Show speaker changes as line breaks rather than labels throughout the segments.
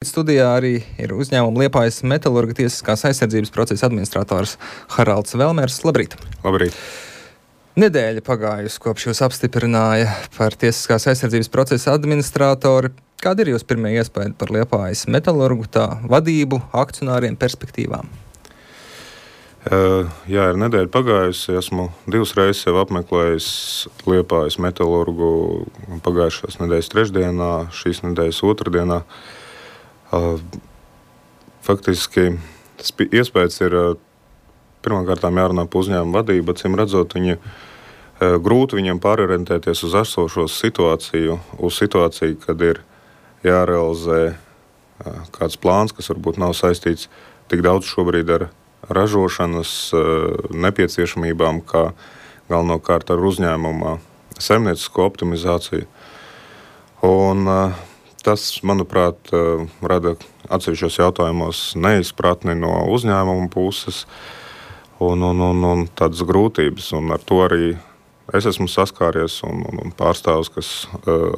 Studijā arī ir uzņēmuma Liepājas metalurga tiesiskās aizsardzības procesa administrators Haralds Velmers. Labrīt!
Labrīt!
Nedēļa pagājusi, kopš jūs apstiprināja par tiesiskās aizsardzības procesa administratoru. Kāda ir jūsu pirmie iespēja par Liepājas metalurgu, tā vadību, akcionāriem, perspektīvām?
Jā, ir nedēļa pagājusi. Esmu divas reizes jau apmeklējis Liepājas metalurgu pagājušās nedēļas trešdienā, šīs nedēļas otrdienā. Faktiski tas iespējas ir pirmkārt jārunā par uzņēmumu vadību, acīm redzot, grūti viņiem pārorientēties uz esošo situāciju, kad ir jārealizē kāds plāns, kas varbūt nav saistīts tik daudz šobrīd ar ražošanas nepieciešamībām, kā galvenokārt ar uzņēmuma saimniecisko optimizāciju. Un tas, manuprāt, rada atsevišķos jautājumos neizpratni no uzņēmuma puses un tādas grūtības. Un ar to arī es esmu saskāries un pārstāvs,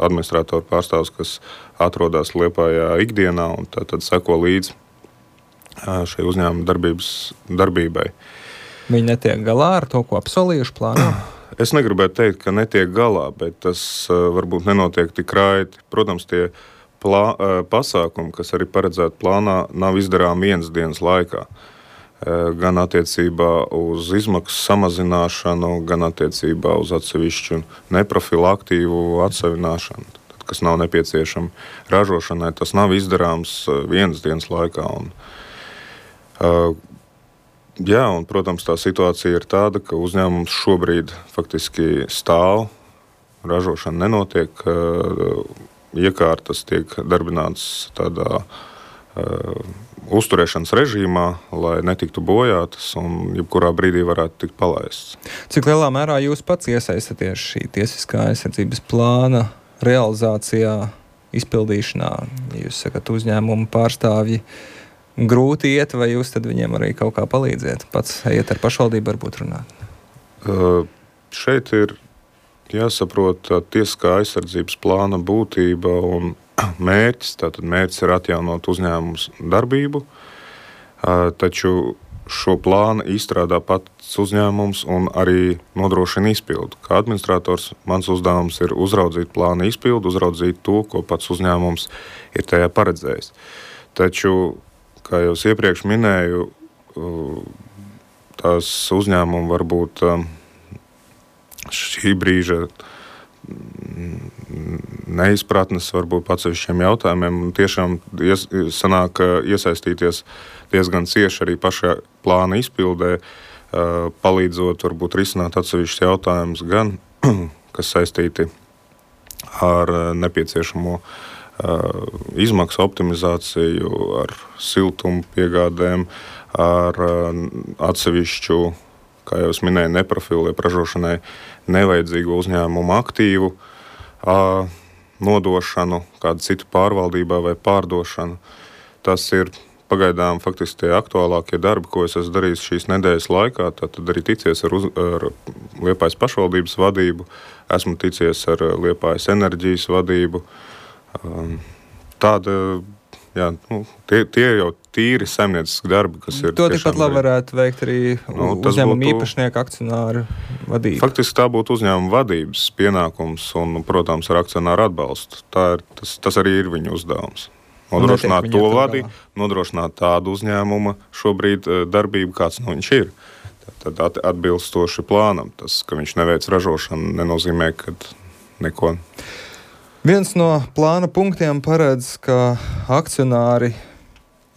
administratoru pārstāvs, kas atrodas Liepājā ikdienā un tad seko līdzi šai uzņēmuma darbībai.
Viņi netiek galā ar to, ko apsolījuši plānā?
Es negribētu teikt, ka netiek galā, bet tas varbūt nenotiek tik raiti. Protams, tie pasākumi, kas arī paredzēti plānā, nav izdarāmi vienas dienas laikā. Gan attiecībā uz izmaksu samazināšanu, gan attiecībā uz atsevišķu neprofilu aktīvu atsevināšanu, kas nav nepieciešami ražošanai. Tas nav izdarāms vienas dienas laikā. Un, protams, tā situācija ir tāda, ka uzņēmums šobrīd faktiski stāv, ražošana nenotiek, iekārtas tiek darbinātas tādā uzturēšanas režīmā, lai netiktu bojātas un jebkurā brīdī varētu tikt palaists.
Cik lielā mērā jūs pats iesaistaties šī tiesiskā aizsardzības plāna realizācijā, izpildīšanā? Jūs sakat, uzņēmumu pārstāvji grūti iet, vai jūs tad viņiem arī kaut kā palīdziet? Pats ejiet ar pašvaldību varbūt runāt?
Šeit ir jāsaprot tiesiskā aizsardzības plāna būtība un mērķis. Tātad mērķis ir atjaunot uzņēmumus darbību, taču šo plānu izstrādā pats uzņēmums un arī nodrošina izpildu. Kā administrators mans uzdevums ir uzraudzīt plāna izpildu, uzraudzīt to, ko pats uzņēmums ir tajā paredzējis. Taču, kā jau iepriekš minēju, tās uzņēmumi varbūt šī brīža neizpratnes varbūt atsevišķiem jautājumiem un tiešām sanāk iesaistīties diezgan cieši arī pašā plāna izpildē, palīdzot varbūt risināt atsevišķus jautājumus gan, kas saistīti ar nepieciešamo izmaksu optimizāciju, ar siltumu piegādēm, ar atsevišķu, kā jau es minēju, neprofilu, ražošanai nevajadzīgu uzņēmumu aktīvu nodošanu, kādu citu pārvaldībā vai pārdošanu. Tas ir pagaidām faktiski tie aktuālākie darbi, ko es esmu darījis šīs nedēļas laikā. Tad arī ticies ar Liepājas pašvaldības vadību, esmu ticies ar Liepājas enerģijas vadību. Tie jau tīri saimnieciski darbi, kas ir.
To tikpat labi varētu veikt arī uzņēmuma īpašnieku akcionāru vadība.
Faktiski tā būtu uzņēmuma vadības pienākums un, protams, ar akcionāru atbalstu. Tas arī ir viņu uzdevums. Nodrošināt to vadību, nodrošināt tādu uzņēmuma šobrīd darbību, kāds viņš ir. Tad atbilstoši plānam. Tas, ka viņš neveic ražošanu, nenozīmē, ka neko.
Viens no plāna punktiem paredz, ka akcionāri,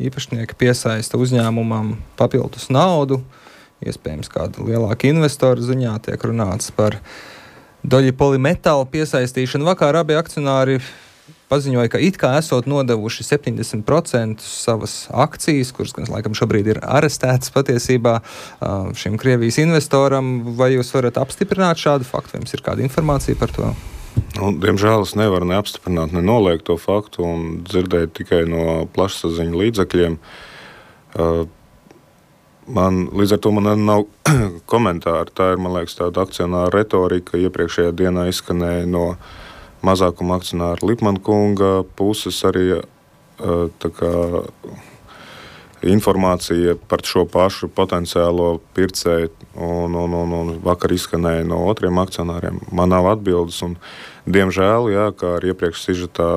īpašnieki piesaista uzņēmumam papildus naudu, iespējams kāda lielāka investora ziņā tiek runāts par Doļi Polimetālu piesaistīšanu. Vakar abi akcionāri paziņoja, ka it kā esot nodevuši 70% savas akcijas, kuras gan laikam šobrīd ir arestētas patiesībā šim Krievijas investoram. Vai jūs varat apstiprināt šādu faktu? Vai jums ir kāda informācija par to?
Diemžēl es nevaru neapstiprināt, nenoliegt to faktu un dzirdēt tikai no plašsaziņu līdzekļiem. Līdz ar to man nav komentāri. Tā ir, man liekas, tāda akcionāra retorika. Iepriekšējā dienā izskanēja no mazākuma akcionāra Lipmana kunga puses arī tā kā informācija par šo pašu potenciālo pircēju, un vakar izskanēja no otriem akcionāriem. Man nav atbildes, un diemžēl, jā, kā arī iepriekš sižetā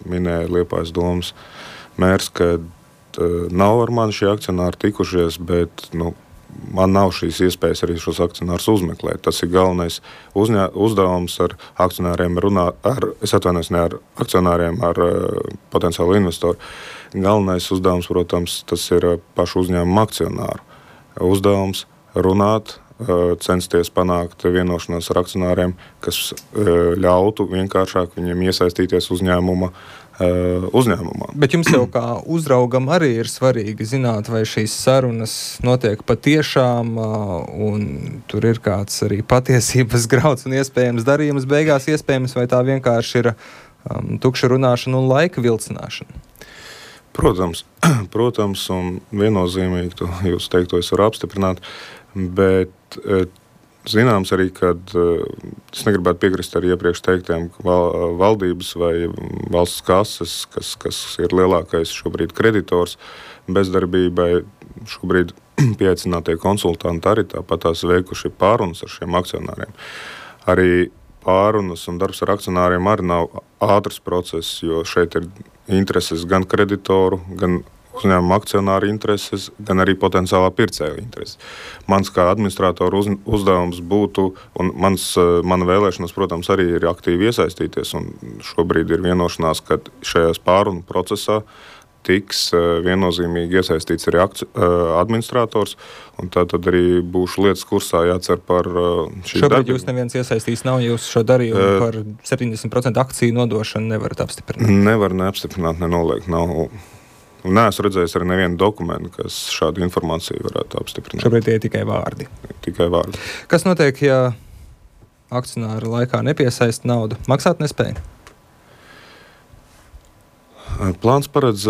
minēja Liepājas domas mērs, ka nav ar mani šie akcionāri tikušies, bet man nav šīs iespējas arī šos akcionārus uzmeklēt. Tas ir galvenais uzdevums ar akcionāriem runāt, ne ar akcionāriem, ar potenciālu investoru. Galvenais uzdevums, protams, tas ir pašu uzņēmumu akcionāru uzdevums runāt, censties panākt vienošanos ar akcionāriem, kas ļautu vienkāršāk viņiem iesaistīties uzņēmumā.
Bet jums jau kā uzraugam arī ir svarīgi zināt, vai šīs sarunas notiek patiešām, un tur ir kāds arī patiesības grauds un iespējams darījums beigās iespējams, vai tā vienkārši ir tukša runāšana un laika vilcināšana?
Protams, un viennozīmīgi to jūs teikto es varu apstiprināt, bet zināms arī, ka es negribētu piekrist arī iepriekš teiktiem valdības vai valsts kases, kas ir lielākais šobrīd kreditors bezdarbībai. Šobrīd pieaicinātie konsultanti arī tāpat tās veikuši pārunas ar šiem akcionāriem. Arī pārunas un darbs ar akcionāriem arī nav ātrs process, jo šeit ir intereses gan kreditoru, gan uzņēmuma akcionāru intereses, gan arī potenciālā pircēja intereses. Mans kā administratoru uzdevums būtu, un mana vēlēšanas, protams, arī ir aktīvi iesaistīties, un šobrīd ir vienošanās, ka šajās pārunu procesā tiks viennozīmīgi iesaistīts arī administrators, un tā tad arī būšu lietas kursā jācer par šīs
Šobrīd
darbības.
Jūs neviens iesaistīs nav, jūs šo darījumu par 70% akciju nodošanu nevarat apstiprināt?
Nevar neapstiprināt, nenoliegt. Neesmu redzējis arī nevienu dokumentu, kas šādu informāciju varētu apstiprināt.
Šobrīd tie ir tikai vārdi.
Tikai vārdi.
Kas notiek, ja akcionāri laikā nepiesaista naudu? Maksāt nespēja?
Plāns paredz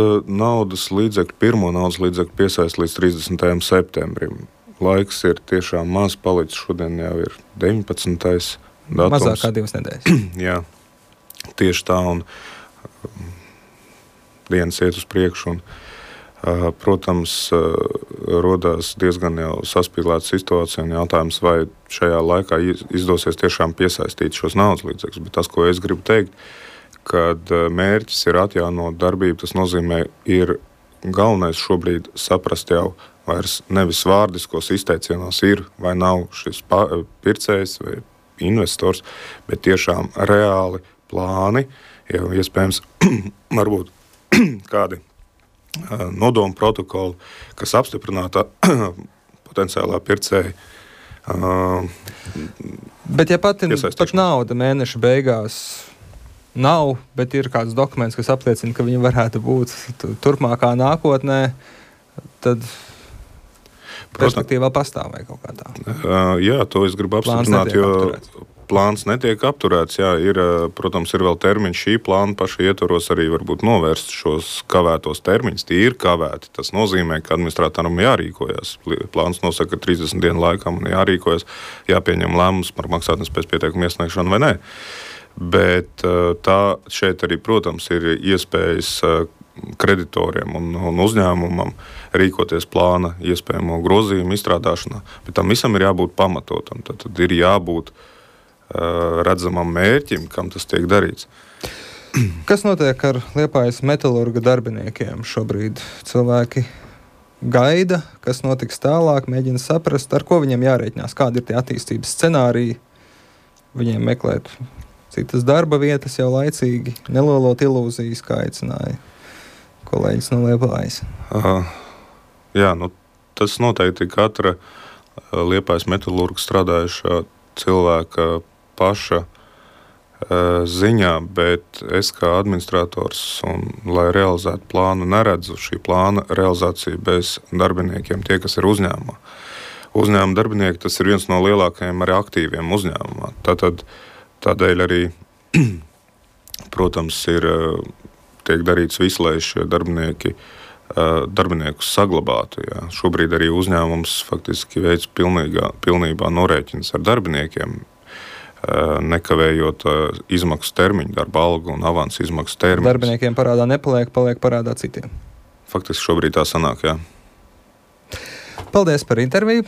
pirmo naudas līdzekļu piesaist līdz 30. septembrim. Laiks ir tiešām maz palicis. Šodien jau ir 19. datums.
Mazāk kā 2 nedēļas.
Jā, tieši tā, un dienas iet uz priekšu. Protams, rodās diezgan jau saspīlēta situācija un jautājums, vai šajā laikā izdosies tiešām piesaistīt šos naudas līdzekļus. Bet tas, ko es gribu teikt, kad mērķis ir atjaunot darbību, tas nozīmē, ir galvenais šobrīd saprast jau vairs nevis vārdiskos izteicienos ir vai nav šis pircējs vai investors, bet tiešām reāli plāni, jau iespējams varbūt kādi nodomu protokoli, kas apstiprināta potenciālā pircēja.
Bet ja pat nauda mēneša beigās nav, bet ir kāds dokuments, kas apliecina, ka viņi varētu būt turpmākā nākotnē, tad perspektīvā pastāv vai kaut kā tā.
Jā, to es gribu apstiprināt, jo plāns netiek apturēts. Jā, protams, ir vēl termiņš šī plāna paša ietvaros arī varbūt novērst šos kavētos termiņus. Tie ir kavēti. Tas nozīmē, ka administratoram jārīkojas. Plāns nosaka, ka 30 dienu laikā man jārīkojas, jāpieņem lēmums par maksātnespējas pieteikumu iesniegšanu vai nē. Bet tā šeit arī, protams, ir iespējas kreditoriem un uzņēmumam rīkoties plāna iespējamo grozījumu izstrādāšanā. Bet tam visam ir jābūt pamatotam. Tad ir jābūt redzamam mērķim, kam tas tiek darīts.
Kas notiek ar Liepājas metalurga darbiniekiem šobrīd? Cilvēki gaida, kas notiks tālāk, mēģina saprast, ar ko viņiem jārēķinās, kādi ir tie attīstības scenāriji, viņiem meklēt citas darba vietas jau laicīgi, nelolot ilūzijas, kā aicināja kolēģis no Liepājas.
Jā, tas noteikti katra Liepājas metalurga strādājušā cilvēka paša ziņā, bet es kā administrators, un, lai realizētu plānu, neredzu šī plāna realizāciju bez darbiniekiem, tie, kas ir uzņēmumā. Uzņēmuma darbinieki, tas ir viens no lielākajiem arī aktīviem uzņēmumā. Tādēļ arī, protams, tiek darīts viss, lai šie darbiniekus saglabātu. Jā. Šobrīd arī uzņēmums faktiski veids pilnībā norēķins ar darbiniekiem. nekavējot izmaksu termiņu, darba algu un avansu izmaksu termiņu.
Darbiniekiem parādā nepaliek, paliek parādā citiem.
Faktiski šobrīd tā sanāk, jā.
Paldies par interviju.